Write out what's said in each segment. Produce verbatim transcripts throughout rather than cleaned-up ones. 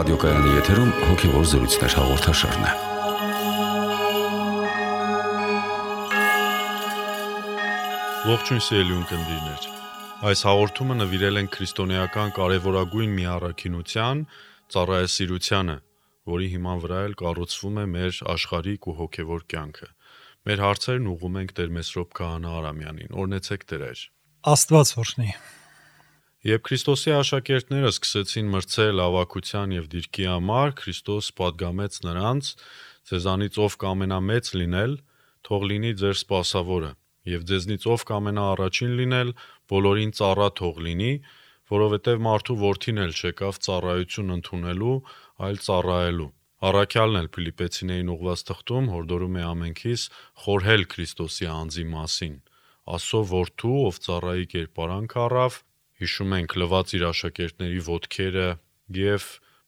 Ռադիոկայանի եթերում հոգևոր զրույցներ հաղորդաշարն է։ Ողջույն սիրելի ունկնդիրներ։ Այս հաղորդումը նվիրել ենք քրիստոնեական կարևորագույն մի առաքինության՝ ծառայասիրությանը, որի հիման վրա էլ կառուցվում է մեր աշխարհիկ ու հոգևոր կյանքը։ Մեր հարցերն ուղղում ենք Տեր Մեսրոպ Քահանա Արամյանին։ Օրհնեցեք Տերեր։ Աստված օրհնի։ Երբ Քրիստոսի աշակերտները սկսեցին մրցել ավագության եւ դիրքի համար, Քրիստոս պատգամեց նրանց. «Ձեզանից ով կամենամեծ լինել, թող լինի ձեր սպասավորը, եւ ձեզնից ով կամենա առաջին լինել, բոլորին ծառա թող լինի, որովհետեւ մարդու որդին էլ չեկավ ծառայություն ընդունելու, այլ ծառայելու»։ Առաքյալն էլ Փիլիպպեցիներին ուղված թղթում հորդորում է ամենքիս խորհել Քրիստոսի անձի մասին։ Աստծո որդու, ով ծառայի կերպարանք առավ, հիշում ենք, լվաց իր աշակերտների ոտքերը եւ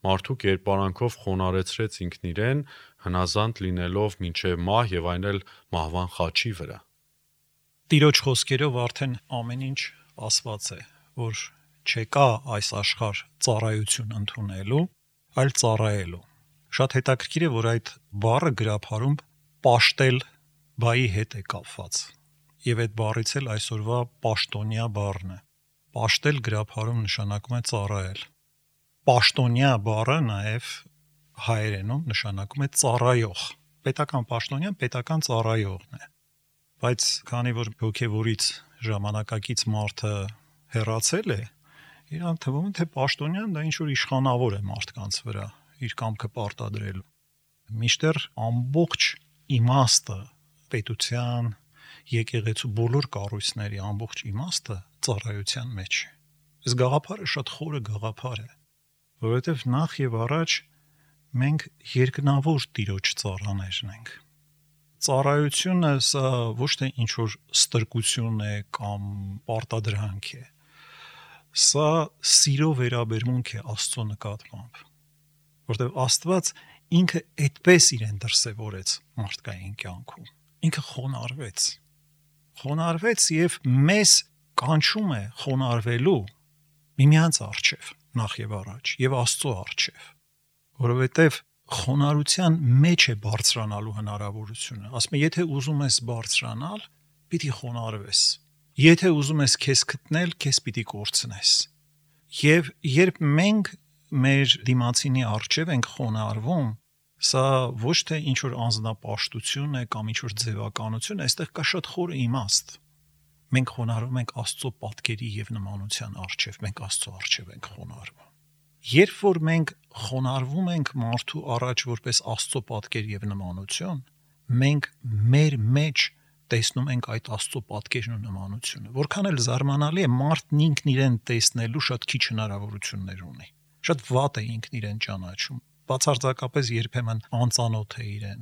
մարդու կերպարանքով խոնարհեցրեց ինքն իրեն, հնազանդ լինելով մինչև մահ եւ այն էլ մահվան խաչի վրա։ Տիրոջ խոսքերով արդեն ամեն ինչ ասված է, որ չեկա այս աշխարհ ծառայություն ընդունելու, այլ ծառայելու։ Շատ հետաքրքիր է, որ այդ բառը գրաբարում պաշտել բայի հետ է կապված։ Եվ այդ բառից էլ այսօրվա պաշտոնյա բառն է։ Պաշտել գրաբարում նշանակում է ծառայել։ Պաշտոնյա բառը նաև հայերենում նշանակում է ծառայող։ Պետական պաշտոնյան պետական ծառայողն է։ Բայց քանի որ հոգևորից ժամանակակից մարդը հեռացել է, իրան թվում է, թե պաշտոնյան դա ինչ-որ իշխանավոր է մարդկանց վրա, իր կամքը պարտադրելու։ Միշտեր ամբողջ իմաստը պետության, եկեղեցու բոլոր կառույցների ամբողջ իմաստը ծառայության մեջ է։ Այս գաղափարը շատ խորը գաղափար է, որովհետև նախ եւ առաջ մենք երկնավոր Տիրոջ ծառաներն ենք։ Ծառայությունը սա ոչ թե ինչ-որ ստրկություն է կամ պարտադրանք է։ Սա սիրո վերաբերմունք է Աստծո նկատմամբ, որտեղ Աստված ինքը այդպես իրեն դրսևորեց մարդկային կյանքում։ Ինքը խոնարհվեց։ Խոնարհվեց եւ մեզ կանչում է խոնարհվելու միմյանց առջև, նախ եւ առաջ, եւ Աստծո առջև, որովհետեւ խոնարհության մեջ է բարձրանալու հնարավորությունը։ Ասում է, եթե ուզում ես բարձրանալ, պիտի խոնարհվես։ Եթե ուզում ես քեզ գտնել, քեզ պիտի կորցնես։ Եվ երբ մենք մեր դիմացինի առջև ենք խոնարհվում, սա ոչ թե ինչ-որ անձնապաշտություն է կամ ինչ-որ ձևականություն, այստեղ կա շատ խորը իմաստ։ Մենք խոնարհվում ենք Աստծո պատկերի եւ նմանության առջև, մենք Աստծո առջև ենք խոնարհվում։ Երբ որ մենք խոնարհվում ենք մարդու առաջ որպես Աստծո պատկեր եւ նմանություն, մենք մեր մեջ տեսնում ենք այդ Աստծո պատկերն ու նմանությունը։ Որքան էլ զարմանալի է, մարդն ինքն իրեն տեսնելու շատ քիչ հնարավորություններ ունի։ Շատ վատ է ինքն իրեն ճանաչում։ Բացարձակապես երբեմն անծանոթ է իրեն։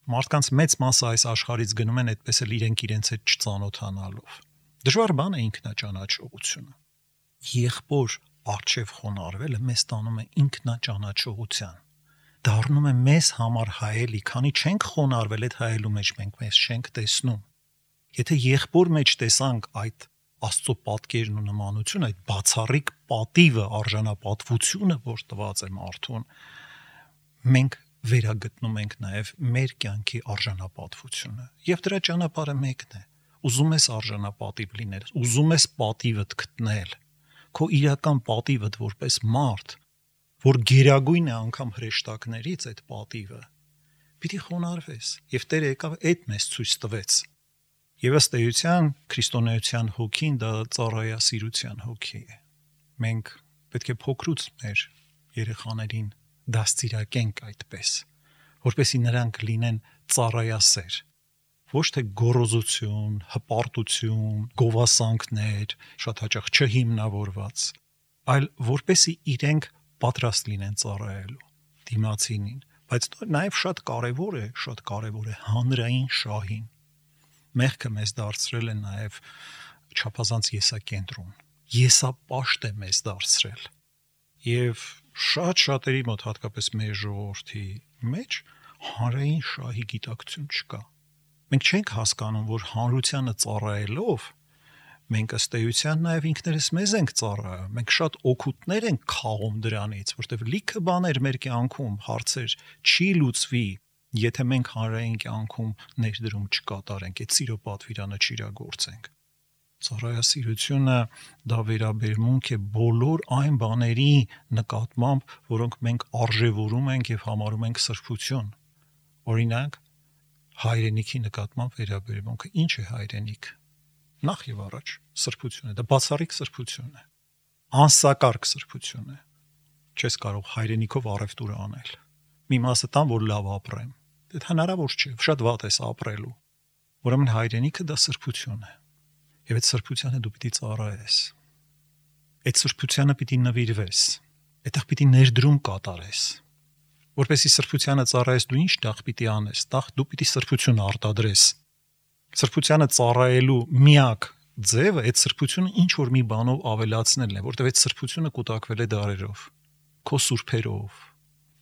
Մարդկանց մեծ մասը այս աշխարհից գնում են այդպես էլ իրենք իրենց հետ չծանոթանալով։ Դժվար բան է ինքնաճանաչողությունը։ Եղբոր առջև խոնարհվելը մեզ տանում է ինքնաճանաչողության։ Դառնում է մեզ համար հայելի, քանի չենք խոնարհվել այդ հայելու մեջ, մենք մեզ չենք տեսնում։ Եթե եղբոր մեջ տեսանք այդ Աստծո պատկերն ու նմանությունը, այդ բացառիկ պատիվը, արժանապատվությունը, որ տված է մարդուն, մենք վերագտնում ենք նաև մեր կյանքի արժանապատվությունը։ Եվ դրա ճանապարհը մեկն է։ Ուզում ես արժանապատիվ լինել, ուզում ես պատիվդ գտնել, քո իրական պատիվդ որպես մարդ, որ գերագույն է անգամ հրեշտակներից այդ պատիվը, պիտի խոնարհվես։ Եվ Տերը եկավ այդ մեզ ցույց տվեց։ Եվ ըստ էության քրիստոնեության հոգին դա ծառայասիրության հոգի է։ Մենք պետք է փոքրուց մեր երեխաներին դաստիարակենք այդպես, որպեսզի նրանք լինեն ծառայասեր, ոչ թե գոռոզություն, հպարտություն, գովասանքներ, շատ հաճախ չհիմնավորված, այլ որպեսզի իրենք պատրաստ լինեն ծառայելու դիմացինին, բայց նաև շատ կարևոր է, շատ կարևոր է հանրային շահին։ Մեղքը մեզ դարձրել է նաև չափազանց եսակենտրոն, եսապաշտ է մեզ դարձրել։ Եվ շատ շատերի մոտ, հատկապես մեր ժողովրդի մեջ, հանրային շահի գիտակցություն չկա։ Մենք չենք հասկանում, որ հանրությանը ծառայելով Մենք ըստ էության նաև ինքներս մեզ ենք ծառայում, մենք շատ օգուտներ ենք քաղում դրանից, որտեղ լիքը բաներ մեր կյանքում հարցեր չի լուծվի, եթե մենք հանրային կյանքում ներդրում չկատարենք, այդ սիրո պատվիրանը չիրագործենք։ Ծառայասիրությունը դա վերաբերմունք է բոլոր այն բաների նկատմամբ, որոնք մենք արժևորում ենք եւ համարում ենք սրբություն։ Օրինակ, հայրենիքի նկատմամբ վերաբերմունքը ինչ է հայրենիք։ Նախ եւ առաջ սրբություն է, դա բացառիկ սրբություն է, անսակարգ սրբություն է։ Չես կարող հայրենիքով առևտուր անել։ Մի մասը տան, որ լավ ապրեմ։ Դա հնարավոր չէ, շատ վատ ես ապրելու։ Ուրեմն հայրենիքը դա սրբություն է։ Եվ այդ սրբությանը դու պիտի ծառայես։ Այդ սրբությանը պիտի նվիրվես։ Այդտեղ պիտի ներդրում կատարես։ Որպեսզի սրբությանը ծառայես, դու ինչ տեղ պիտի անես։ Տեղ դու պիտի սրբություն արտադրես։ Սրբությանը ծառայելու միակ ձևը այդ սրբությունը ինչ որ մի բանով ավելացնելն է, որտեղ այդ սրբությունը կուտակվել է դարերով, քո սուրբերով,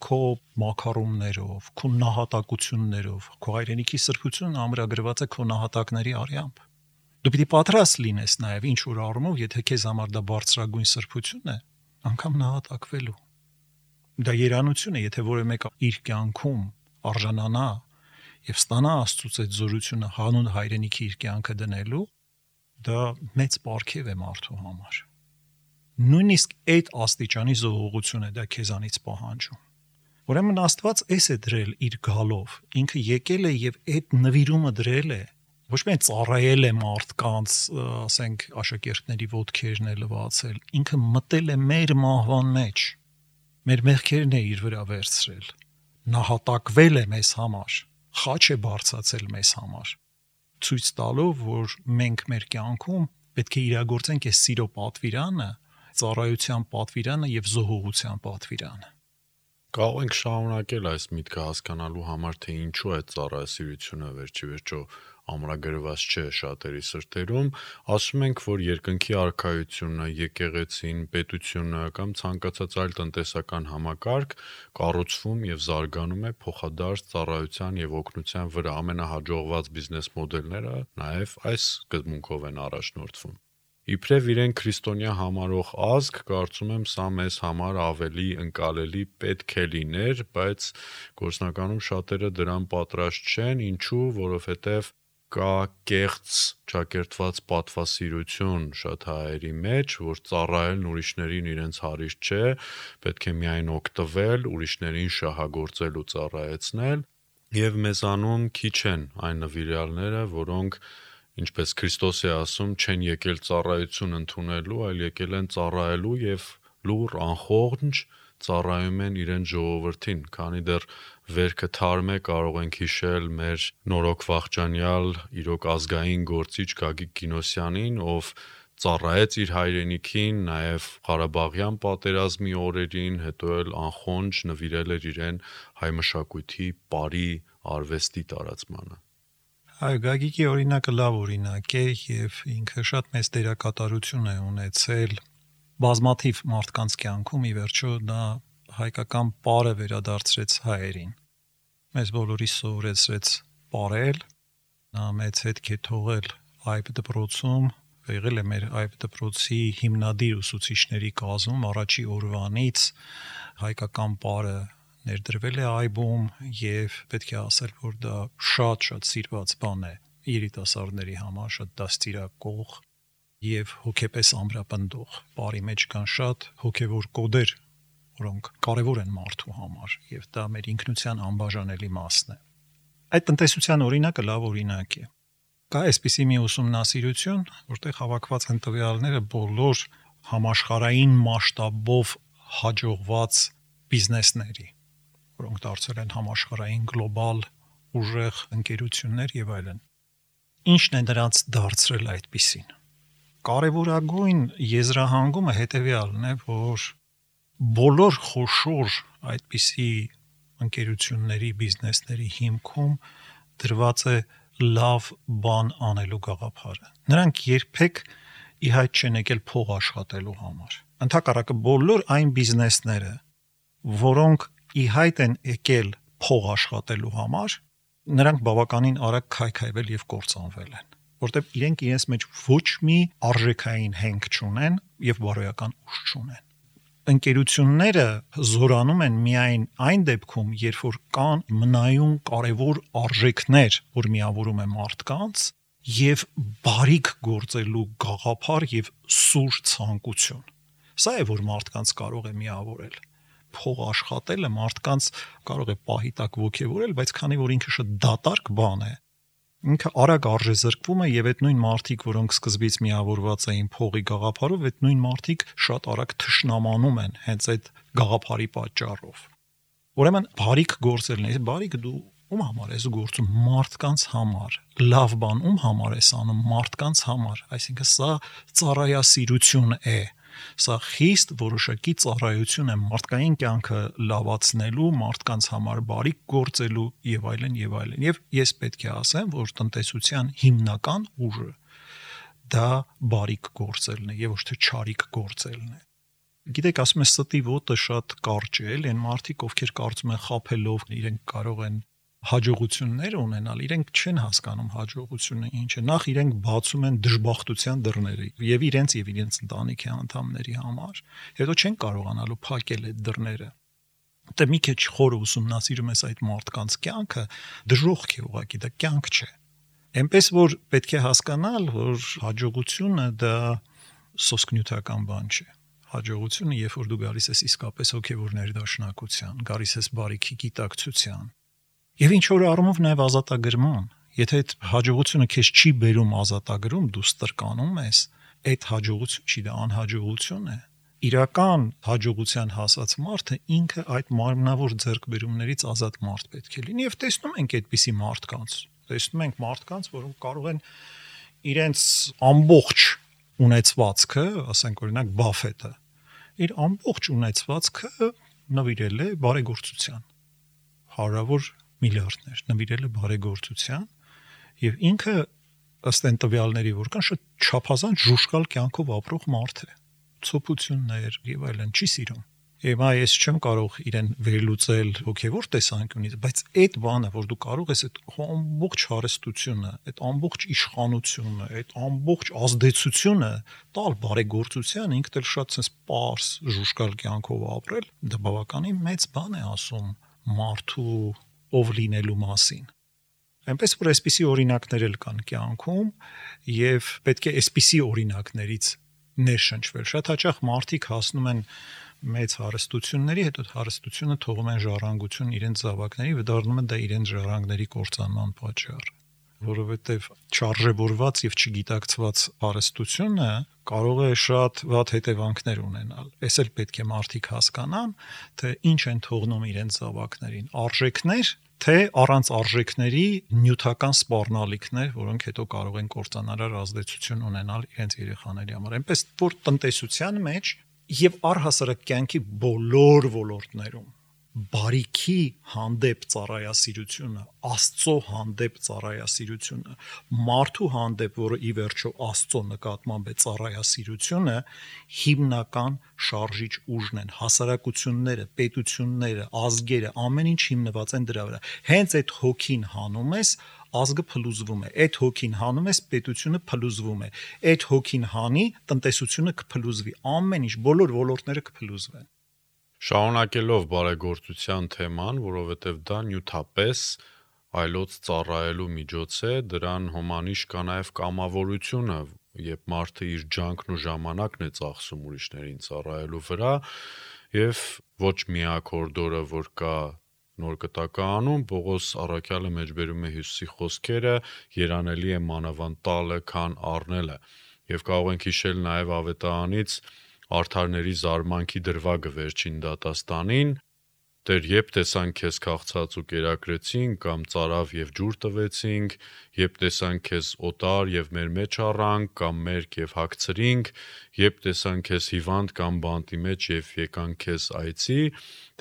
քո մակարոններով, քո նահատակություններով, քո հայրենիքի սրբությունը ամրագրված է քո նահատակների արյամբ։ Դու պիտի պատրաստ լինես նաև ինչ որ առումով, եթե քեզ համար դա բարձրագույն սրբություն է, անգամ նահատակվելու։ Դա երանություն է, եթե որևէ մեկը իր կյանքում արժանանա եւ ստանա Աստծուց այդ զորությունը հանուն հայրենիքի իր կյանքը դնելու, դա մեծ պարգև է մարդու համար։ Նույնիսկ այդ աստիճանի զողողություն է դա քեզանից պահանջում։ Ուրեմն Աստված էս է դրել իր գալով, ինքը եկել է եւ այդ նվիրումը դրել է, ոչ միայն ծառայել է մարդկանց, ասենք աշակերտների ոտքերն է լվացել, ինքը մտել է մեր մահվան մեջ, մեր մեղքերն է իր վրա վերցրել, նահատակվել է մեզ համար, խաչ է բարձացել մեզ համար, ցույց տալով, որ մենք մեր կյանքում պետք է իրագործենք այս սիրո պատվիրանը, ծառայության պատվիրանը եւ զոհողության պատվիրանը։ Կարող ենք շարունակել այս միտքը հասկանալու համար, թե ինչու է ծառայասիրությունը վերջի վերջո ամրագրված չէ շատերի սրտերում, ասում ենք, որ երկնքի արքայությունը, եկեղեցին, պետությունը կամ ցանկացած այլ տնտեսական համակարգ կառուցվում եւ զարգանում է փոխադարձ ծառայության եւ օգնության վրա։ Ամենահաջողված բիզնես մոդելները նաեւ այս սկզբունքով են առաջնորդվում։ Իբրև իրեն քրիստոնյա համարող ազգ, կարծում եմ, սա մեզ համար ավելի ընկալելի պետք է լիներ, բայց գործնականում շատերը դրան պատրաստ չեն, ինչու, որովհետև կա կեղծ ճակերտված պատվասիրություն շատ հայերի մեջ, որ ծառայելն ուրիշներին իրենց հարիստ չէ, պետք է միայն օգտվել, ուրիշներին շահագործել ու ծառայեցնել, եւ մեզանում քիչ են այն նվիրյալները, որոնք, ինչպես Քրիստոս է ասում, չեն եկել ծառայություն ընդունելու, այլ եկել են ծառայելու եւ լուռ անխողջ ծառայում են իրեն ժողովրդին, քանի դեռ վերքը թարմ է, կարող ենք հիշել մեր նորոք վախճանյալ իրոք ազգային գործիչ Գագիկ Կինոսյանին, ով ծառայեց իր հայրենիքին, նաև Ղարաբաղյան պատերազմի օրերին, հետո էլ անխոնջ նվիրել էր իրեն հայ մշակույթի բարի արվեստի տարածմանը։ Այո, Գագիկի օրինակը լավ օրինակ է եւ ինքը շատ մեծ դերակատարություն է ունեցել բազմաթիվ մարդկանց կյանքում, ի վերջո դա հայկական պարը վերադարձրեց հայերին։ Մեզ բոլորիս սովորեցրեց պարել, նա մեծ հետք է թողել այբ դպրոցում, եղել է մեր այբ դպրոցի հիմնադիր ուսուցիչների կազմում առաջի օրվանից հայկական պարը ներդրվել է այբում եւ պետք է ասել, որ դա շատ-շատ սիրված բան է երիտասարդների համար, շատ դաստիարակող եւ հոգեպես ամրապնդող։ Բարի մեջ կան շատ հոգեվոր կոդեր, որոնք կարեւոր են մարդու համար եւ դա մեր ինքնության անբաժանելի մասն է։ Այդ տնտեսության օրինակը լավ օրինակ է։ Կա այսպիսի մի ուսումնասիրություն, որտեղ հավաքված են տվյալները բոլոր համաշխարհային մասշտաբով հաջողված բիզնեսների, որոնք դարձել են համաշխարհային գլոբալ ուժեղ ընկերություններ եւ այլն։ Ինչն է նրանց դարձրել այդպիսին։ Կարևորագույն եզրահանգումը հետեւյալն է, որ բոլոր խոշոր այդպիսի ընկերությունների, բիզնեսների հիմքում դրված է լավ բան անելու գաղափարը։ Նրանք երբեք ի հայտ չեն եկել փող աշխատելու համար։ Ընդհակառակը բոլոր այն բիզնեսները, որոնք ի հայտ են եկել փող աշխատելու համար, նրանք բավականին արագ քայքայվել եւ կործանվել են, որտեղ իրենք իրենց մեջ ոչ մի արժեքային հենք չունեն եւ բարոյական ուժ չունեն։ Ընկերությունները զորանում են միայն այն դեպքում, երբ որ կան մնայուն կարևոր արժեքներ, որ միավորում են մարդկանց, եւ բարիք գործելու գաղափար եւ սուր ցանկություն։ Սա է, որ մարդկանց կարող է միավորել։ Փող աշխատելը մարդկանց կարող է պահի տակ ոգևորել, բայց քանի որ ինքը շատ դատարկ բան է, ինքը արագ արժեզրկվում է եւ այդ նույն մարդիկ, որոնք սկզբից միավորված էին փողի գաղափարով, այդ նույն մարդիկ շատ արագ թշնամանում են հենց այդ գաղափարի պատճառով։ Ուրեմն բարիք գործելն է, բարիքը դու ում համար ես գործում, մարդկանց համար, լավ բան ում համար ես անում, մարդկանց համար, այսինքն սա ծառայասիրություն է, սա խիստ որոշակի ծառայություն է մարդկային կյանքը լավացնելու, մարդկանց համար բարիք գործելու եւ այլն եւ այլն։ Եվ ես պետք է ասեմ, որ տնտեսության հիմնական ուժը դա բարիք գործելն է եւ ոչ թե չարիք գործելն է։ Գիտեք, ասում ես ստի ոտը շատ կարճ է, այն մարդիկ, ովքեր կարծում են խափելով իրենք կարող են հաջողություններ ունենալ, իրենք չեն հասկանում հաջողությունը ինչ է։ Նախ իրենք բացում են դժբախտության դռները եւ իրենց եւ իրենց ընտանիքի անդամների համար, հետո չեն կարողանալու փակել այդ դռները։ Դե մի քիչ խորը ուսումնասիրում ես այդ մարդկանց կյանքը, դժոխք է ուղղակի, դա կյանք չէ։ Էնպես որ պետք է հասկանալ, որ հաջողությունը դա սոսկնյութական բան չէ։ Հաջողությունը, երբ որ դու գալիս ես իսկապես հոգեվոր ներդաշնակության, գալիս ես բարիքի գիտակցության, եւ ինչ որ առումով նաեւ ազատագրման, եթե այդ հաջողությունը քեզ չի բերում ազատագրում, դու ստրկանում ես, այդ հաջողություն չի, դա անհաջողություն է։ Իրական հաջողության հասած մարդը ինքը այդ մարմնավոր ձեռքբերումներից ազատ մարդ պետք է լինի եւ տեսնում ենք այդպիսի մարդկանց։ Տեսնում ենք մարդկանց, որոնք կարող են իրենց ամբողջ ունեցվածքը, ասենք օրինակ Բաֆետը, իր ամբողջ ունեցվածքը նվիրել է բարեգործության։ Հարյուրավոր միլիարդներ նվիրել է բարեգործության եւ ինքը ըստ այն տվյալների, որ կան, շատ չափազանց ժուշկալ կյանքով ապրող մարդ է։ Ցոփություններ եւ այլն չի սիրում։ Եվ այ ես չեմ կարող իրեն վերլուծել հոգեվոր տեսանկյունից, բայց այդ բանը, որ դու կարող ես այդ ամբողջ հարստությունը, այդ ամբողջ իշխանությունը, այդ ամբողջ ազդեցությունը տալ բարեգործության, ինքդ էլ շատ sense պարս ժուշկալ կյանքով ապրել, դա բավականին մեծ բան է ասում մարդու ով լինելու մասին։ Այնպես որ այսպիսի օրինակներ էլ կան կյանքում եւ պետք է այսպիսի օրինակներից ներշնչվել։ Շատ հաճախ մարդիկ հասնում են մեծ հարստությունների, հետո հարստությունը թողում են ժառանգություն իրենց զավակների, վդառնում են դա իրենց ժառանգների կործանման պատճառ, որովհետեւ չարժևորված եւ չգիտակցված հարստությունը կարող է շատ վատ հետևանքներ ունենալ։ Էս էլ պետք է մարդիկ հասկանան, թե ինչ են թողնում իրենց զավակներին, արժեքներ, թե առանց արժեքների նյութական սպառնալիքներ, որոնք հետո կարող են կործանարար ազդեցություն ունենալ իրենց երեխաների համար։ Այնպես որ տնտեսության մեջ եւ առհասարակ կյանքի բոլոր ոլորտներում բարիքի հանդեպ ծառայասիրությունը, Աստծո հանդեպ ծառայասիրությունը, մարդու հանդեպ, որը ի վերջո Աստծո նկատմամբ է ծառայասիրությունը, հիմնական շարժիչ ուժն են, հասարակությունները, պետությունները, ազգերը, ամեն ինչ հիմնված են դրա վրա։ Հենց այդ հոգին հանում ես, ազգը փլուզվում է, այդ հոգին հանում ես, պետությունը փլուզվում է, այդ հոգին հանի, տնտեսությունը կփլուզվի, ամեն ինչ, բոլոր ոլորտները կփլուզվեն։ Շարունակելով բարեգործության թեման, որովհետև դա նյութապես այլոց ծառայելու միջոց է, դրան հոմանիշ կա նաև կամավորությունը, երբ մարդը իր ջանքն ու ժամանակն է ծախսում ուրիշներին ծառայելու վրա, եւ ոչ միակ հորդորը, որ կա նոր կտականում, Պողոս առաքյալը մեջբերում է Հիսուսի խոսքերը, երանելի է մանավանդ տալը, քան առնելը, եւ կարող ենք հիշել նաև ավետարանից արդարների զարմանքի դրվագը վերջին դատաստանին, Տեր երբ տեսանք քեզ քաղցած ու կերակրեցինք, կամ ծարավ եւ ջուր տվեցինք, երբ տեսանք քեզ օտար եւ մեր մեջ առանք, կամ մերկ եւ հագցրինք, երբ տեսանք քեզ հիվանդ կամ բանտի մեջ եւ եկանք քեզ այցի,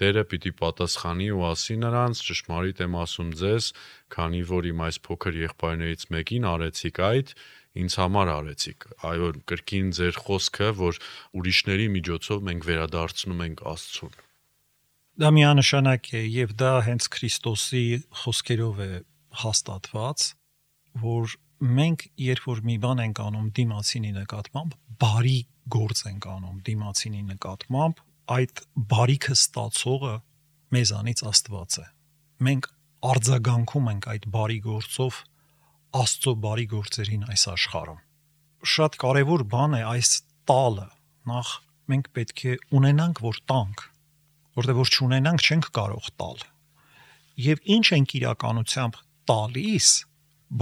Տերը պիտի պատասխանի ու ասի նրանց. ճշմարիտ եմ ասում ձեզ, քանի որ իմ այս փոքր եղբայրներից մեկին արեցիք այդ, ինձ համար արեցիք։ Այո, կրկին ձեր խոսքը, որ ուրիշների միջոցով մենք վերադարձնում ենք Աստծուն։ Դա միանշանակ է եւ դա հենց Քրիստոսի խոսքերով է հաստատված, որ մենք երբ որ մի բան ենք անում դիմացինի նկատմամբ, բարի գործ ենք անում դիմացինի նկատմամբ, այդ բարիքը ստացողը մեզանից Աստված է։ Մենք արձագանքում ենք այդ բարի գործով Աստծո բարի գործերին այս աշխարհում։ Շատ կարևոր բան է այս տալը։ Նախ մենք պետք է ունենանք, որ տանք, որտեղ որ չունենանք չենք կարող տալ։ Եվ ինչ ենք իրականությամբ տալիս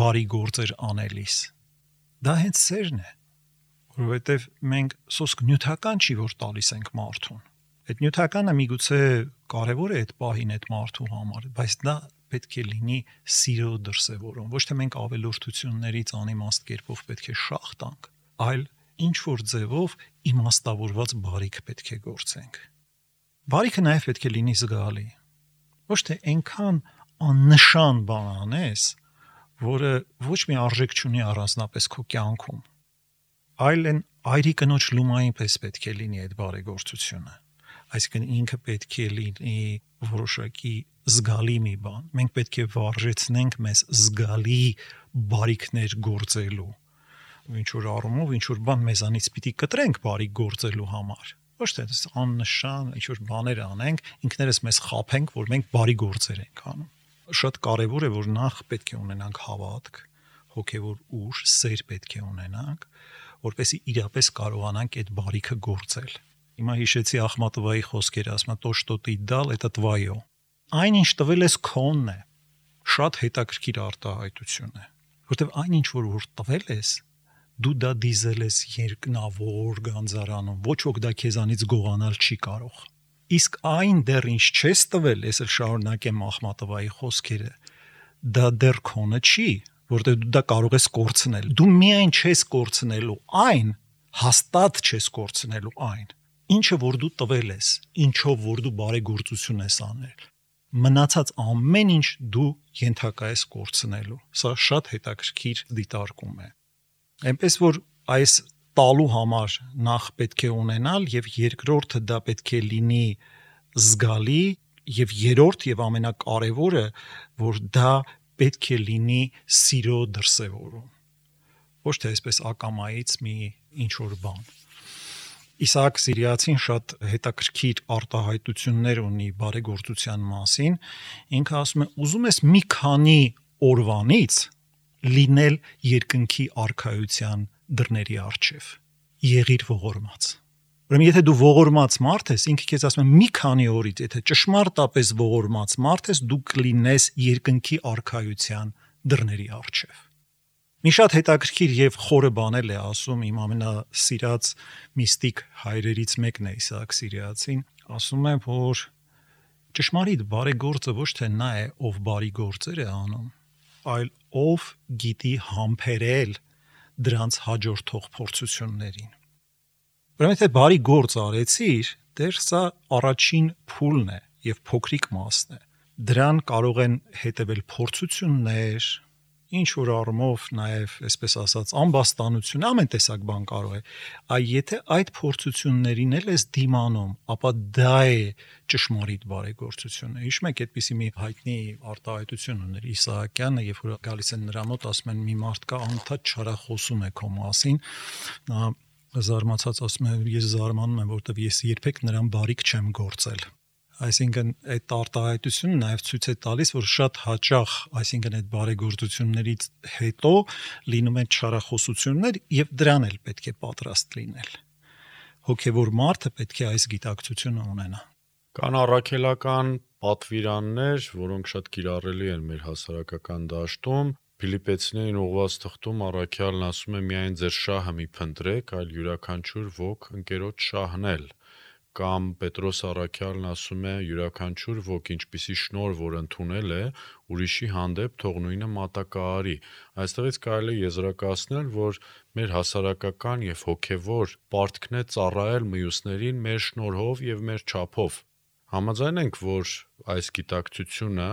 բարի գործեր անելիս։ Դա հենց սերն է, որովհետև մենք սոսկ նյութական չի, որ տալիս ենք մարդուն։ Այդ նյութականը միգուցե կարևոր է այդ պահին այդ մարդու համար, բայց դա պետք է լինի սիրո դրսևորում։ Ոչ թե մենք ավելորդություններից անիմաստ կերպով պետք է շահ տանք, այլ ինչ որ ձևով իմաստավորված բարիք պետք է գործենք։ Բարիքը նաև պետք է լինի զգալի։ Ոչ թե այնքան աննշան բան անես, որը ոչ մի արժեք չունի առանձնապես քո կյանքում, այլ այն այրի կնոջ լումային պես պետք է լինի այդ բարեգործությունը։ Այսինքն ինքը պետք է լինի որոշակի զգալի մի բան։ Մենք պետք է վարժեցնենք մեզ զգալի բարիքներ գործելու։ Ինչ որ առումով, ինչ որ բան մեզանից պիտի կտրենք բարիք գործելու համար։ Ոչ թե աննշան ինչ որ բաներ անենք, ինքներս մեզ խաբենք, որ մենք բարի գործեր ենք անում։ Շատ կարևոր է, որ նախ պետք է ունենանք հավատք, հոգևոր ուժ, սեր պետք է ունենանք, որպեսզի իրապես կարողանանք այդ բարիքը գործել։ Հիմա հիշեցի Ախմատովայի խոսքերը, ասում է «То, что ты дал, это твое»։ Այն ինչ տվել ես քոնն է։ Շատ հետաքրքիր արտահայտություն է, որտեղ այն ինչ որ որ տվել ես, դու դա դիզել ես երկնավոր գանձարանում, ոչ ոք դա քեզանից գողանալ չի կարող։ Իսկ այն դեռ ինչ չես տվել, ես էլ շարունակեմ Ախմատովայի խոսքերը, դա դեռ քոնը չի, որտեղ դու դա կարող ես կորցնել։ Դու միայն չես կորցնելու այն, հաստատ չես կորցնելու այն, ինչը որ դու տվել ես, ինչով որ դու բարեգործություն ես անել։ Մնացած ամեն ինչ դու ենթակա ես կորցնելու։ Սա շատ հետաքրքիր դիտարկում է։ Այնպես որ այս տալու համար նախ պետք է ունենալ եւ երկրորդը դա պետք է լինի զգալի եւ երրորդ եւ ամենակարևորը որ դա պետք է լինի սիրո դրսևորում։ Ոչ թե այսպես ակամայից մի ինչ որ բան։ Իսահակ Սիրիացին շատ հետաքրքիր արտահայտություններ ունի բարեգործության մասին։ Ինքը ասում է, ուզում ես մի քանի օրվանից լինել երկնքի արքայության դռների առջև։ Եղիր ողորմած։ Ուրեմն եթե դու ողորմած մարդ ես, ինքը քեզ ասում է մի քանի օրից, եթե ճշմարտապես ողորմած մարդ ես, դու կլինես երկնքի արքայության դռների առջև։ Մի շատ հետաքրքիր եւ խորը բան է ասում իմ ամենասիրած միստիկ հայրերից մեկն է Իսահակ Սիրիացին, ասում է, որ ճշմարիտ բարեգործը ոչ թե նա է, ով բարի գործեր է անում, այլ ով գիտի համբերել դրանց հաջորդող փորձություններին։ Ուրեմն եթե բարի գործ արեցիր, դեռ սա առաջին փուլն է եւ փոքրիկ մասն է։ Դրան կարող են հետևել փորձություններ, ինչ որ առումով նաև, այսպես ասած, ամբաստանություն, ամեն տեսակ բան կարող է։ Այ եթե այդ փորձություններին էլ ես դիմանում, ապա դա է ճշմարիտ բարեգործությունը։ Հիշում եք, այդպիսի մի հայտնի արտահայտություն ուներ Իսահակյանը, երբ որ գալիս են նրա մոտ, ասում են՝ մի մարդ կա անդադ չարախոսում է քո մասին, նա զարմացած ասում է՝ ես զարմանում եմ, որովհետև ես երբեք նրան բարիք չեմ գործել։ Այսինքն այդ արտահայտությունը նաև ցույց է տալիս, որ շատ հաճախ, այսինքն այդ բարեգործություններից հետո լինում են չարախոսություններ եւ դրան էլ պետք է պատրաստ լինել։ Հոգեվոր մարդը պետք է այս գիտակցությունը ունենա։ Կան առաքելական պատվիրաններ, որոնք շատ կիրառելի են մեր հասարակական դաշտում։ Ֆիլիպեցիներին ուղղված թղթում առաքյալն ասում է՝ միայն ձեր շահը մի փնտրեք, այլ յուրաքանչյուր ոք ընկերոջ շահն էլ։ Կամ Պետրոս առաքյալն ասում է՝ յուրաքանչյուր ոք ինչպիսի շնորհ որ ընդունել է, ուրիշի հանդեպ թող նույնը մատակարարի։ Այստեղից կարելի է եզրակացնել, որ մեր հասարակական եւ հոգեվոր պարտքն է ծառայել մյուսներին մեր շնորհով եւ մեր չափով։ Համաձայն ենք, որ այս գիտակցությունը,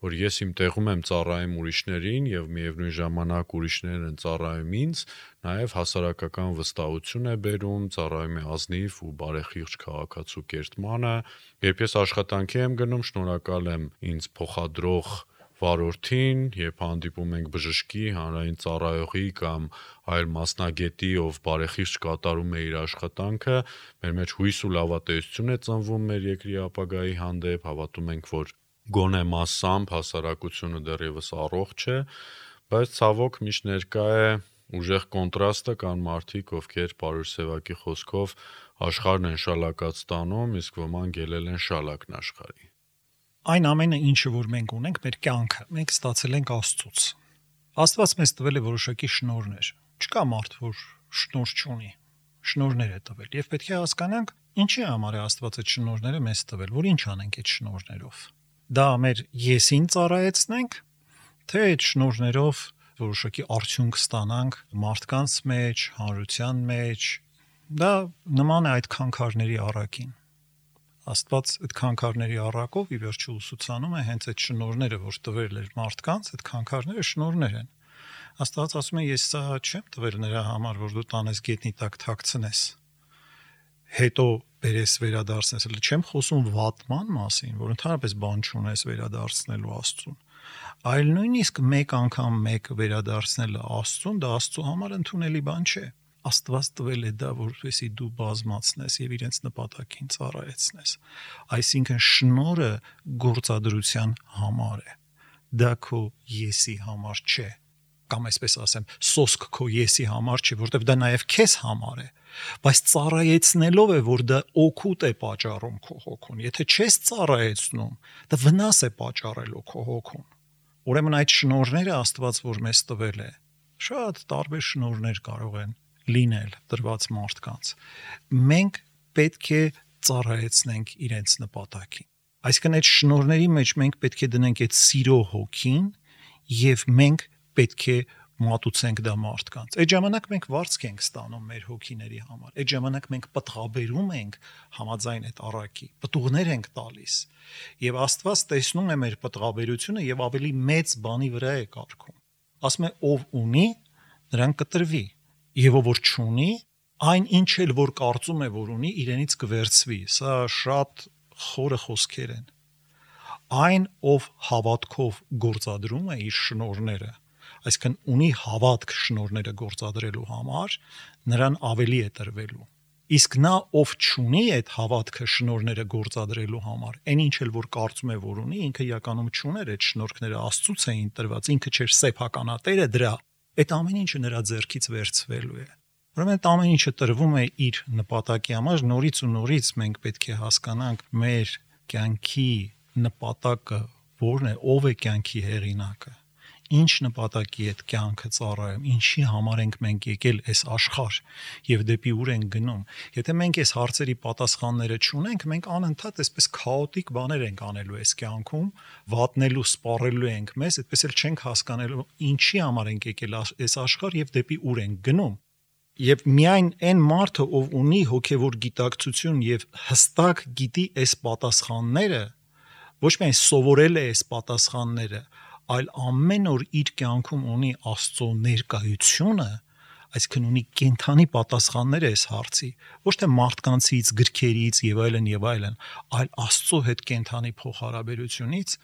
որ ես իմ տեղում եմ ծառայում ուրիշներին եւ միևնույն ժամանակ ուրիշներն են ծառայում ինձ, նաեւ հասարակական վստահություն է բերում, ծառայում է ազնիվ ու բարեխիղճ քաղաքացու կերտմանը։ Երբ ես աշխատանքի եմ գնում, շնորհակալ եմ ինձ փոխադրող վարորդին, երբ հանդիպում ենք բժշկի, հանրային ծառայողի կամ այլ մասնագետի, ով բարեխիղճ կատարում է իր աշխատանքը, մեր մեջ հույս ու լավատեսություն է ծնվում մեր երկրի ապագայի հանդեպ, հավատում ենք, որ գոնե մասամբ հասարակությունը դեռևս առողջ է, բայց ցավոք միշտ ներկա է ուժեղ կոնտրաստը, կան մարդիկ, ովքեր Պարուհի Սևակի խոսքով աշխարհն են շալակած տանում, իսկ ոմանք ելել են շալակն աշխարհի։ Այն ամենը, ինչը որ մենք ունենք, մեր կյանքը, մենք ստացել ենք Աստծուց։ Աստված մեզ տվել է որոշակի շնորհներ։ Չկա մարդ, որ շնորհ չունի։ Շնորհներ է տվել, եւ պետք է հասկանանք, ինչի համար է Աստված այդ շնորհները մեզ տվել, որ ինչ անենք այդ շնորհներով։ Դա մեր եսին ծառայեցնենք, թե այդ շնորհներով որոշակի արդյունք ստանանք մարդկանց մեջ, հանրության մեջ։ Դա նման է այդ քանքարների առակին։ Աստված այդ քանքարների առակով ի վերջո ուսուցանում է հենց այդ շնորհները, որ տվել էր մարդկանց, այդ քանքարները շնորհներ են։ Աստված ասում է, ես սա չեմ տվել նրա համար, որ դու տանես գետնի տակ թաքցնես, հետո բերես վերադարձնես, էլ չեմ խոսում վատման մասին, որ ընդհանրապես բան չունես վերադարձնելու Աստծուն, այլ նույնիսկ մեկ անգամ մեկ վերադարձնելը Աստծուն, դա Աստծո համար ընդունելի բան չէ։ Աստված տվել է դա, որպեսզի դու բազմացնես եւ իրենց նպատակին ծառայեցնես։ Այսինքն շնորհը գործադրության համար է։ Դա քո եսի համար չէ։ Կամ այսպես ասեմ, սոսկ քո եսի համար չէ, որտեղ դա նաեւ քեզ համար է։ Բայց ծառայեցնելով է, որ դա օգուտ է պատճառում քո հոգուն։ Եթե չես ծառայեցնում, դա վնաս է պատճառելու քո հոգուն։ Ուրեմն այդ շնորհները Աստված որ մեզ տվել է, շատ տարբեր շնորհներ կարող են լինել դրված մարդկանց։ Մենք պետք է ծառայեցնենք իրենց նպատակին։ Այսինքն այդ շնորհների մեջ մենք պետք է դնենք այդ սիրո հոգին եւ մենք պետք է մատուցենք դա մարդկանց։ Այդ ժամանակ մենք վարձք ենք ստանում մեր հոգիների համար։ Այդ ժամանակ մենք պտղաբերում ենք համաձայն այդ առակի, պտուղներ ենք տալիս։ Եվ Աստված տեսնում է մեր պտղաբերությունը եւ ավելի մեծ բանի վրա է կարգում։ Ասում է, ով ունի, նրան կտրվի։ Եվ ով որ չունի, այն ինչ էլ որ կարծում է որ ունի, իրենից կվերցվի։ Սա շատ խորը խոսքեր են։ Այն ով հավատքով գործադրում է իր շնորհները, այսինքն ունի հավատք շնորհները գործադրելու համար, նրան ավելի է տրվելու։ Իսկ նա ով չունի այդ հավատքը շնորհները գործադրելու համար, այն ինչ էլ որ կարծում է որ ունի, ինքը իրականում չուներ այդ շնորհները Աստծուց էին տրված, ինքը չէր սեփականատերը դրա։ Այդ ամեն ինչը նրա ձեռքից վերցվելու է։ Ուրեմն այդ ամեն ինչը տրվում է իր նպատակի համար, նորից ու նորից մենք պետք է հասկանանք մեր կյանքի նպատակը որն է, ով է կյանքի հեղինակը, ինչ նպատակի այդ կյանքը ծառայում, ինչի համար ենք մենք եկել այս աշխարհ եւ դեպի ուր ենք գնում։ Եթե մենք այս հարցերի պատասխանները չունենք, մենք անընդհատ այսպես քաոտիկ բաներ ենք անելու այս կյանքում, վատնելու, սպառելու ենք մեզ, այդպես էլ չենք հասկանալու ինչի համար ենք եկել այս աշխարհ եւ դեպի ուր ենք գնում։ Եվ միայն այն մարդը, ով ունի հոգեվոր գիտակցություն եւ հստակ գիտի այս պատասխանները, ոչ միայն սովորել է այս պատասխանները, այլ ամեն օր իր կյանքում ունի Աստծո ներկայությունը, այսինքն ունի կենթանի պատասխաններ այս հարցի, ոչ թե մարդկանցից, գրքերից եւ այլն եւ այլն, այլ Աստծո հետ կենթանի փոխհարաբերությունից,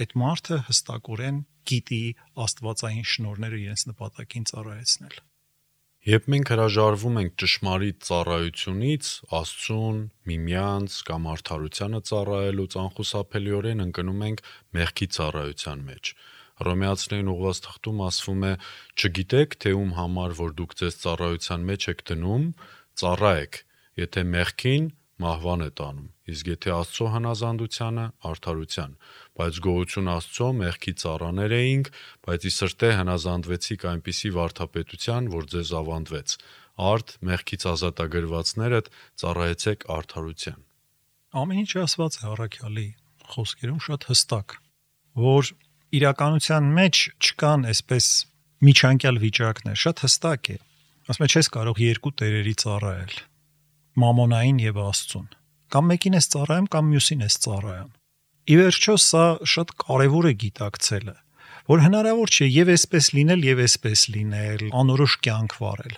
այդ մարդը հստակորեն գիտի աստվածային շնորհները իրենց նպատակին ծառայեցնել։ Երբ մենք հրաժարվում ենք ճշմարիտ ծառայությունից, Աստծուն, միմյանց կամ արդարությանը ծառայելուց անխուսափելիորեն ընկնում ենք մեղքի ծառայության մեջ։ Հռոմեացիներին ուղղված թղթում ասվում է. «Չգիտեք, թե ում համար որ դուք ձեզ ծառայության մեջ եք դնում, ծառայեք, եթե մեղքին մահվան է տանում, իսկ եթե Աստծո հնազանդությանը արդարության, բայց գոհություն Աստծո մեղքի ծառաներ էինք, բայց ի սրտե հնազանդվեցիք այնպիսի վարդապետության, որ ձեզ ավանդվեց, արդ մեղքից ազատագրվածներդ ծառայեցեք արդարության»։ Ամեն ինչ ասված է առաքյալի խոսքերում շատ հստակ, որ իրականության մեջ չկան այսպես միջանկյալ վիճակներ, շատ հստակ է։ Ասում է, չես կարող երկու տերերի ծառայել, մամոնային եւ Աստծուն, կամ մեկին ես ծառայում, կամ մյուսին ես ծառայում։ Ի վերջո սա շատ կարևոր է գիտակցելը, որ հնարավոր չէ եւ այսպես լինել եւ այսպես լինել, անորոշ կյանք վարել։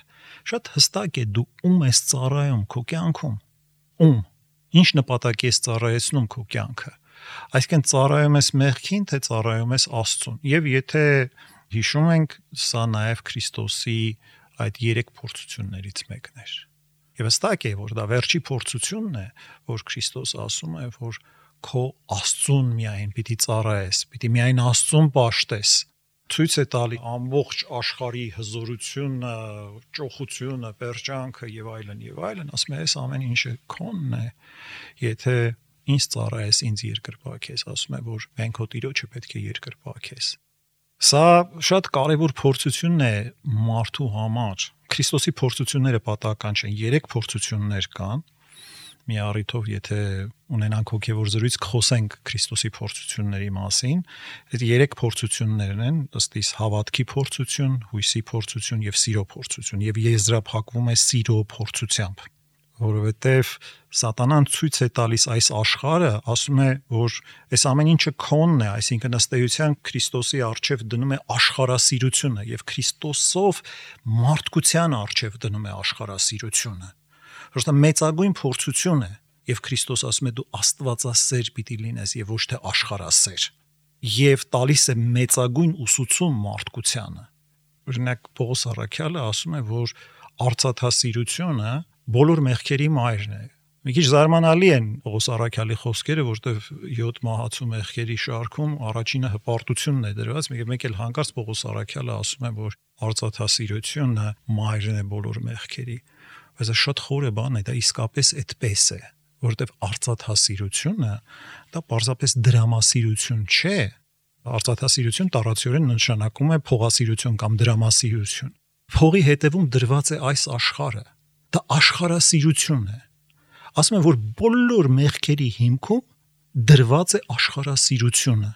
Շատ հստակ է դու ում ես ծառայում քո կյանքում։ Ում, ինչ նպատակի ես ծառայեցնում քո կյանքը։ Այսինքն ծառայում ես մեղքին, թե ծառայում ես Աստծուն։ Եվ եթե հիշում ենք, սա նաև Քրիստոսի այդ երեք փորձություններից մեկն էր։ Եվ հստակ է, որ դա վերջի փորձությունն է, որ Քրիստոս ասում է, որ քո Աստծուն միայն պիտի ծառայես, պիտի միայն Աստծուն պաշտես։ Ցույց է տալի ամբողջ աշխարհի հզորությունը, ճոխությունը, պերճանքը եւ այլն եւ այլն, ասում է, այս ամեն ինչը քոնն է, եթե ինձ ծառայես, ինձ երկրպագես, ասում է, որ մենք հո Տիրոջը պետք է երկրպագես։ Սա շատ կարևոր փորձություն է մարդու համար։ Քրիստոսի փորձությունները պատահական չեն, երեք փորձություններ կան։ Մի առիթով, եթե ունենանք հոգևոր զրույց, կխոսենք Քրիստոսի փորձությունների մասին, այդ երեք փորձություններն են, ըստ իս հավատքի փորձություն, հույսի փորձություն եւ սիրո փորձություն, եւ եզրափակվում է սիրո փորձությամբ, որովհետեւ Սատանան ցույց է տալիս այս աշխարհը, ասում է, որ այս ամեն ինչը քոնն է, այսինքն ըստ էության Քրիստոսի առջև դնում է աշխարհասիրությունը եւ Քրիստոսով մարդկության առջև դնում է աշխարհասիրությունը։ Որտե մեծագույն փորձություն է եւ Քրիստոս ասում է դու աստվածասեր պիտի լինես եւ ոչ թե աշխարհասեր եւ տալիս է մեծագույն ուսուցում մարդկությանը։ Օրինակ Պողոս առաքյալը ասում է, որ արծաթասիրությունը բոլոր մեղքերի մայրն է։ Մի քիչ զարմանալի են Պողոս առաքյալի խոսքերը, որտեղ յոթ մահացու մեղքերի շարքում առաջինը հպարտությունն է դրված, մեկ էլ հանկարծ Պողոս առաքյալը ասում է, որ արծաթասիրությունը մայրն է բոլոր մեղքերի։ Բայց դա շատ խորը բան է, դա իսկապես այդպես է, որովհետև արծաթասիրությունը դա պարզապես դրամասիրություն չէ։ Արծաթասիրություն տարածորեն նշանակում է փողասիրություն կամ դրամասիրություն։ Փողի հետևում դրված է այս աշխարհը։ Դա աշխարհասիրություն է։ Ասում են, որ բոլոր մեղքերի հիմքում դրված է աշխարհասիրությունը։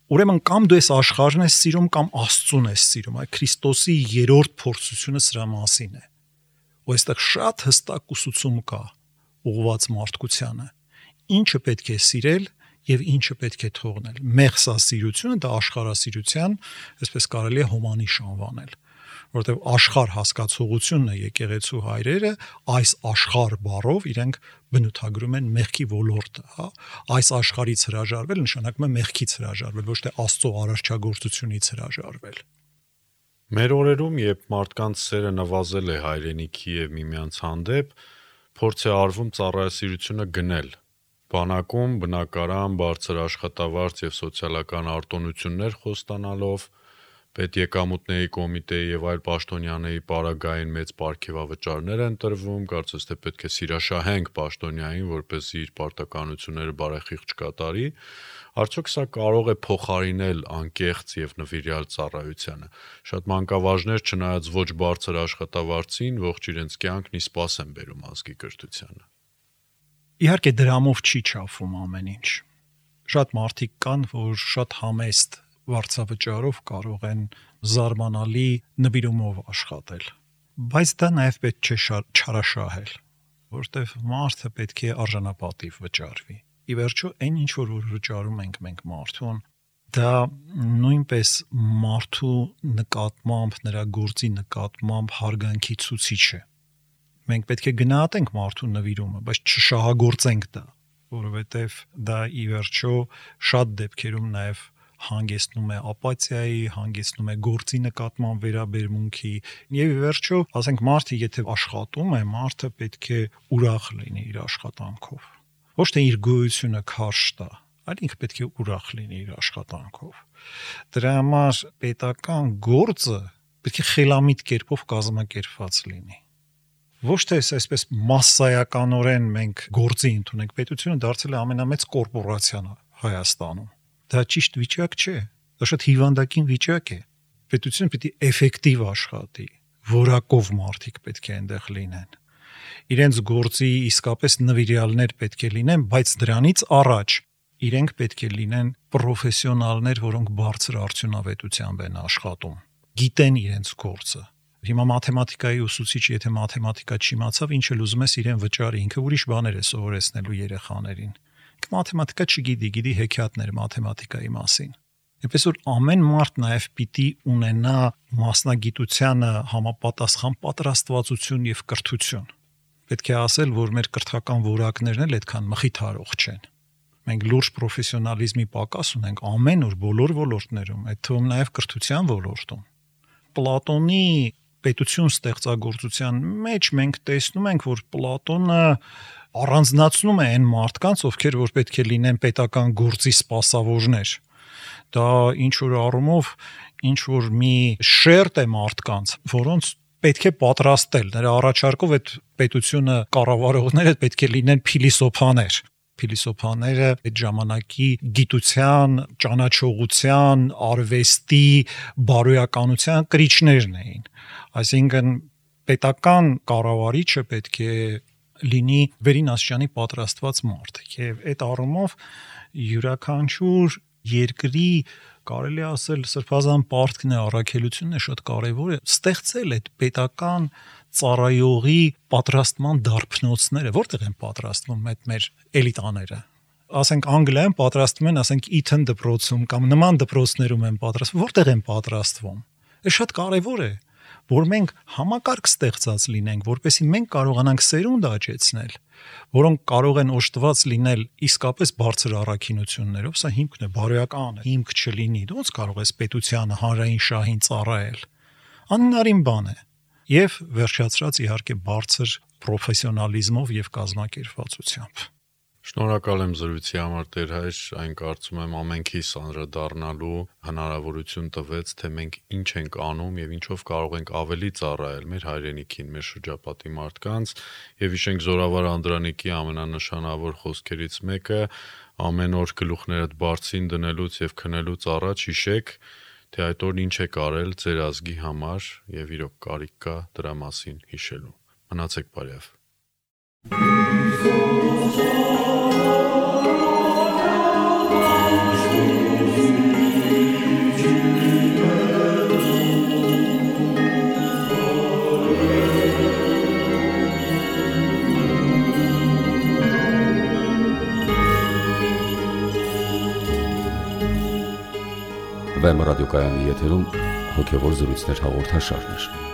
Ուրեմն կամ դու ես աշխարհն ես սիրում, կամ Աստծուն ես սիրում։ Այդ Քրիստոսի երրորդ փորձությունը սրա մասին է։ Ու այստեղ շատ հստակ ուսուցում կա ուղղված մարդկությանը, ինչը պետք է սիրել եւ ինչը պետք է թողնել։ Մեղսասիրությունը դա աշխարհասիրության, այսպես կարելի է հոմանիշ անվանել, որովհետեւ աշխարհ հասկացողությունն է եկեղեցու հայրերը այս աշխարհ բառով իրենք բնութագրում են մեղքի ոլորտը, հա։ Այս աշխարհից հրաժարվել նշանակում է մեղքից հրաժարվել, ոչ թե Աստծո արարչագործությունից հրաժարվել։ Մեր օրերում, երբ մարդկանց սերը նվազել է հայրենիքի եւ միմյանց հանդեպ, փորձ է արվում ծառայասիրությունը գնել։ Բանակում, բնակարան, բարձր աշխատավարձ եւ սոցիալական արտոնություններ խոստանալով, պետեկամուտների կոմիտեի եւ այլ պաշտոնյաների պարագային մեծ պարգևավճարներ են տրվում, կարծես թե պետք է սիրաշահենք պաշտոնյային, որպեսզի իր պարտականությունները բարեխիղճ կատարի։ Արդյոք սա կարող է փոխարինել անկեղծ եւ նվիրյալ ծառայությանը։ Շատ մանկավարժներ, չնայած ոչ բարձր աշխատավարձին, ողջ իրենց կյանքն ի սպաս են բերում ազգի կրթությանը։ Իհարկե դրամով չի չափվում ամեն ինչ։ Շատ մարդիկ կան, որ շատ համեստ վարձավճարով կարող են զարմանալի նվիրումով աշխատել։ Բայց դա նաև պետք չէ չարաշահել, որտեղ մարդը պետք է արժանապատիվ վճարվի։ Ի վերջո, այն ինչ որ վճարում ենք մենք մարդուն, դա նույնպես մարդու նկատմամբ, նրա գործի նկատմամբ հարգանքի ցուցիչ է։ Մենք պետք է գնահատենք մարդու նվիրումը, բայց չշահագործենք դա, որովհետև դա ի վերջո շատ դեպքերում նաև հանգեցնում է ապաթիայի, հանգեցնում է գործի նկատմամբ վերաբերմունքի, եւ ի վերջո, ասենք մարդը եթե աշխատում է, մարդը պետք է ուրախ լինի իր աշխատանքով։ Ոչ թե իր գոյությունը քարշ տա, այլ ինքը պետք է ուրախ լինի իր աշխատանքով։ Դրա համար պետական գործը պետք է խելամիտ կերպով կազմակերպված լինի։ Ոչ թե այսպես մասսայականորեն մենք գործի ընդունենք, պետությունը դարձել է ամենամեծ կորպորացիան Հայաստանում։ Դա ճիշտ վիճակ չէ, դա շատ հիվանդակին վիճակ է։ Պետությունը պիտի էֆեկտիվ աշխատի, որակով մարդիկ պետք է այնտեղ լինեն։ Իրենց գործի իսկապես նվիրյալներ պետք է լինեն, բայց դրանից առաջ իրենք պետք է լինեն պրոֆեսիոնալներ, որոնք բարձր արդյունավետությամբ են աշխատում, գիտեն իրենց գործը։ Հիմա մաթեմատիկայի ուսուցիչ, եթե մաթեմատիկա չիմացավ, ինչ էլ ուզում ես իրեն վճարի, ինքը ուրիշ բաներ է սովորեցնելու երեխաներին։ Մաթեմատիկա չգիտի, գիտի հեքիաթներ մաթեմատիկայի մասին։ Այնպես որ ամեն մարդ նաև պիտի ունենա մասնագիտությանը համապատասխան պատրաստվածություն եւ կրթություն։ Պետք է ասել, որ մեր կրթական որակներն էլ այդքան մխիթարող չեն։ Մենք լուրջ պրոֆեսիոնալիզմի պակաս ունենք ամեն օր բոլոր ոլորտներում, այդ թվում նաև կրթության ոլորտում։ Պլատոնի պետություն ստեղծագործության մեջ մենք տեսնում ենք, որ Պլատոնը առանձնացնում է այն մարդկանց, ովքեր որ պետք է լինեն պետական գործի սպասավորներ։ Դա ինչ որ առումով ինչ որ մի շերտ է մարդկանց, որոնց պետք է պատրաստել։ Նրա առաջարկով այդ պետությունը կառավարողները պետք է լինեն փիլիսոփաներ։ Փիլիսոփաները այդ ժամանակի գիտության, ճանաչողության, արվեստի, բարոյականության կրիչներն էին։ Այսինքն պետական կառավարիչը պետք է լինի վերին աստիճանի պատրաստված մարդ։ Եվ այդ առումով յուրաքանչյուր երկրի կարելի ասել սրբազան պարտքն է, առաքելությունն է շատ կարևոր է ստեղծել այդ պետական ծառայողի պատրաստման դարբնոցները, որտեղ են պատրաստվում այդ մեր էլիտաները։ Ասենք Անգլիայում պատրաստվում են, ասենք Eton դպրոցում կամ նման դպրոցներում են պատրաստվում, որտեղ են պատրաստվում։ Դա շատ կարևոր է, որ մենք համակարգ ստեղծած լինենք, որպեսզի մենք կարողանանք սերունդ աճեցնել, որոնք կարող են օժտված լինել իսկապես բարձր առաքինություններով, սա հիմքն է, բարոյական հիմք չլինի, դու ոնց կարող ես պետությանը, հանրային շահին ծառայել։ Անհնարին բան է։ Եվ վերջացրած իհարկե բարձր պրոֆեսիոնալիզմով եւ կազմակերպվածությամբ։ Շնորհակալ եմ զրույցի համար Տեր հայր, այն կարծում եմ ամենքիս անդրադառնալու հնարավորություն տվեց, թե մենք ինչ ենք անում եւ ինչով կարող ենք ավելի ծառայել մեր հայրենիքին, մեր շրջապատի մարդկանց, եւ հիշենք Զորավար Անդրանիկի ամենանշանավոր խոսքերից մեկը՝ ամեն օր գլուխներդ բարձին դնելուց եւ քնելուց առաջ հիշեք, թե այդ օրն ինչ եք արել ձեր ազգի համար եւ իրոք կարիք կա դրա մասին հիշելու։ Մնացեք բարյավ։ Վեմ ռադիոկայանի եթերում հոգևոր զրույցներ հաղորդաշարներ։